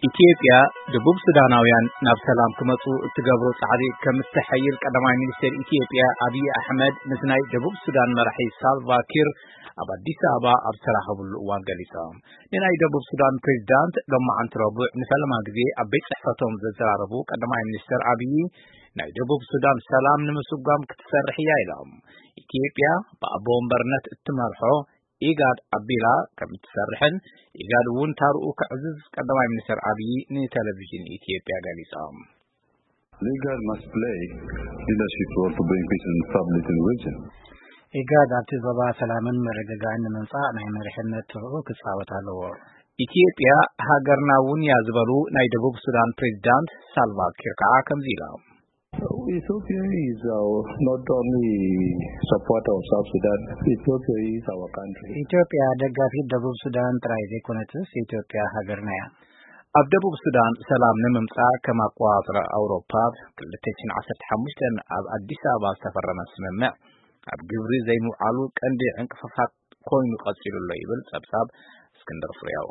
ኢትዮጵያ ደቡብ ሱዳናውያን ናብ ሰላም ክመጹ እትገብሮ ጻዕሪ ከም እተሐይል ቀዳማይ ሚኒስትር ኢትዮጵያ ኣብይ ኣሕመድ ምስ ናይ ደቡብ ሱዳን መራሒ ሳልቫ ኪር ኣብ ኣዲስ ኣበባ ኣብ ዝተራኸብሉ እዋን ገሊጾም። ንናይ ደቡብ ሱዳን ፕሬዚዳንት ሎማዓንቲ ረቡዕ ንፈለማ ግዜ ኣብ ቤት ጽሕፈቶም ዘዘራረቡ ቀዳማይ ሚኒስትር ኣብይ፣ ናይ ደቡብ ሱዳን ሰላም ንምስጓም ክትሰርሕ እያ ኢሎም። ኢትዮጵያ ብኣቦ ወንበርነት እትመርሖ ኢጋድ ኣቢላ ከም እትሰርሕን ኢጋድ እውን ታርኡ ከዕዝዝ ቀዳማይ ሚኒስትር ኣብይ ንቴሌቪዥን ኢትዮጵያ ገሊጾም። Legal must play leadership role to bring peace and stability in the region. ኢጋድ ኣብቲ ዞባ ሰላምን ምርግጋእን ንምምጻእ ናይ መሪሕነት ተርኡ ክጻወት ኣለዎ። ኢትዮጵያ ሃገርና እውን እያ ዝበሉ ናይ ደቡብ ሱዳን ፕሬዚዳንት ሳልቫ ኪር ከዓ ከምዚ ኢሎም። Ethiopia is our, not only supporter of South Sudan, Ethiopia is our country. ኢትዮጵያ ደጋፊት ደቡብ ሱዳን ጥራይ ዘይኮነትስ ኢትዮጵያ ሃገርና እያ። ኣብ ደቡብ ሱዳን ሰላም ንምምጻእ ከም ኣቆጻጽራ ኣውሮፓ ክልተ ሽሕን ዓሰርተ ሓሙሽተን ኣብ ኣዲስ ኣበባ ዝተፈረመ ስምምዕ ኣብ ግብሪ ዘይምውዓሉ ቀንዲ ዕንቅፋት ኮይኑ ቀጺሉ ኣሎ ይብል ጸብጻብ እስክንድር ፍሬው።